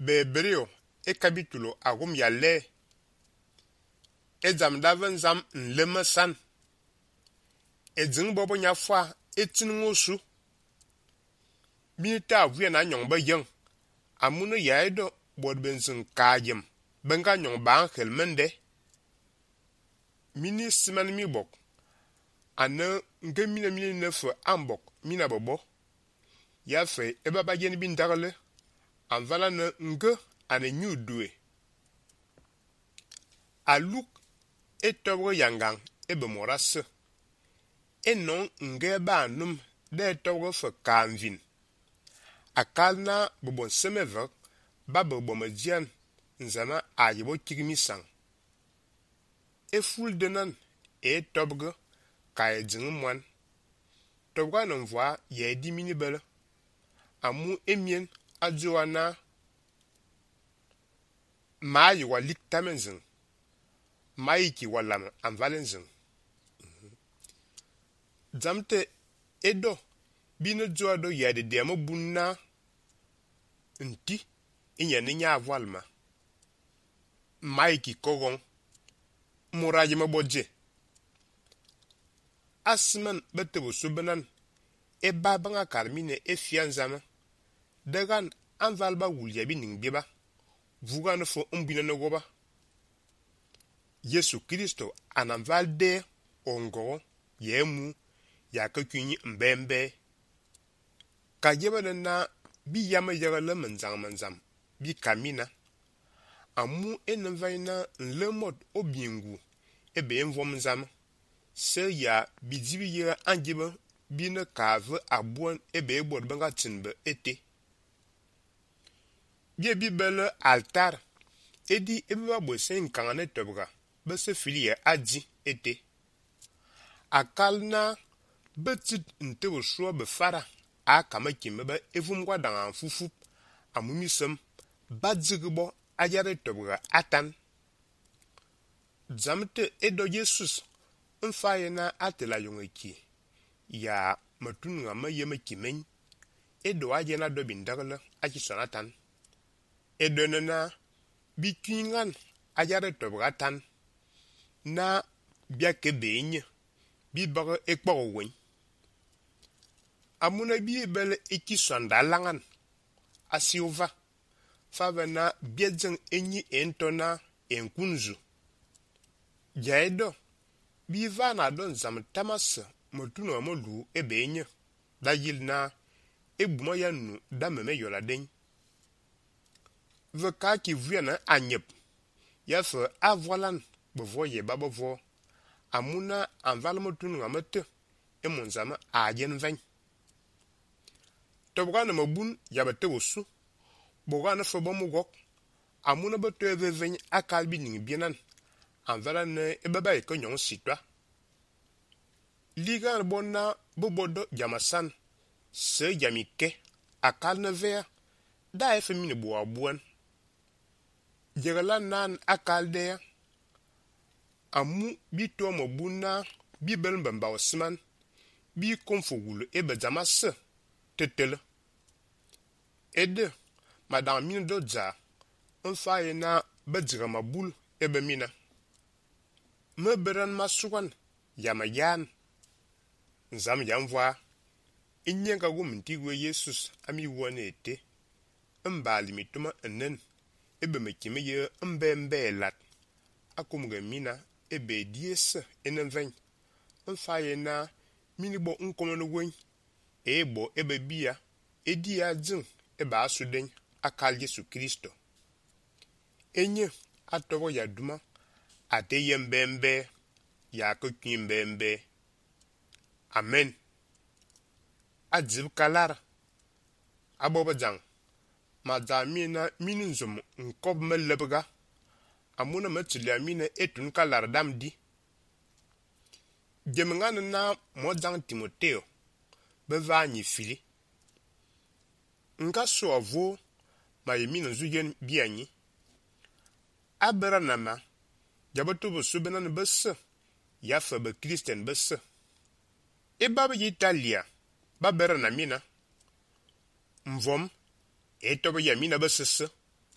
Bebreo e capítulo agum ya le e zam daven zam nleme san e dzing bobo nya fwa e tin ngosu binita vuya na nyong ba yang amune ya edo bod benzin kajem benga nyong ba angel mende mini siman mi bok ane nge mina nefe ambok mina bobo ya fe e baba yen bin dagle anvala ne nge ane nyu due aluk e tobre yangang e be morase e non nge ba num de tobre fe kanvin akal na bobon semever ba bobo median nzana ayibo kigmi sang e ful denan e tobre ka e ding mwan tobra non voa ye di mini bele amu emien adjoana ma yi wa lik tamenzin ma yi ki walam an valenzin zamte edo bine joa do ya de demo bunna nti inya ni nya avalma ma yi ki kogon muraji maboje asman betebo subenan e babanga karmine e fianzama dagan anvalba wulya bi ning biba vugan fo umbina no goba Yesu Kristo ananval de ongo yemu ya kakunyi mbembe ka jeba na bi yama yagala manzam bi kamina amu envaina nlemot obingu ebe envom zam se ya bidibi yera angiba bine kave abuan ebe ebod banga tinbe ete bi bele altar edi ebe babo sen kangane tobga bese filie adi ete akal na betit ntewo shua befara a kama kimeba evum kwa dangan fufup amumisem badzigbo ajare tobga atan zamte edo Jesus mfaye na atela yongeki ya matun nga mayeme kimen edo ajena do bindagla aki sonatan edo na bikingan ajare tobga tan na biake benye bi baga ekporo wen amuna bi bele eki sonda langan asiova fava na biedzeng enyi entona enkunzu jaedo bi va na don zam tamas motuna molu ebenye da yil na ebuma ya nu da meme yola den veka ki vuena anyep ya fe avolan bevo ye babovo amuna anval motunu ngamete e monzama ajen ven tobgana mabun ya bete wosu bogana fe bomugok amuna beto eveven akalbi ning bienan anvala ne ebaba e konyon sitwa ligan bonna bobodo jamasan se jamike akal ne ver da efe mini bo abuan jegala nan akal de amu bi to mo bunna bi bel mbamba osman bi konfogulu ebe jamas tetele ede madam min do ja onfaye na bejira mabul ebe mina me beran masukan yamayan nzam yamva inyenga gumintigwe Jesus ami wone ete mbali mituma enen ebe mekime ye mbembe lat akumge mina ebe dies enenven mfaye na minibo nkomono gwen ebo ebe bia edia dzin ebe asuden akal Yesu Kristo enye atobo ya duma ate ye mbembe ya kokin mbembe amen adzib kalar aboba jang madamina minunzum nkob melebga amuna metuli amina etun kalar damdi jemengan na mojang Timoteo beva nyi fili nga so avo ma yemina zuyen bianyi abera nama jabato bo subenan besse ya fa be Christian besse e baba Italia babera na mina mvom e tobo ya mina besse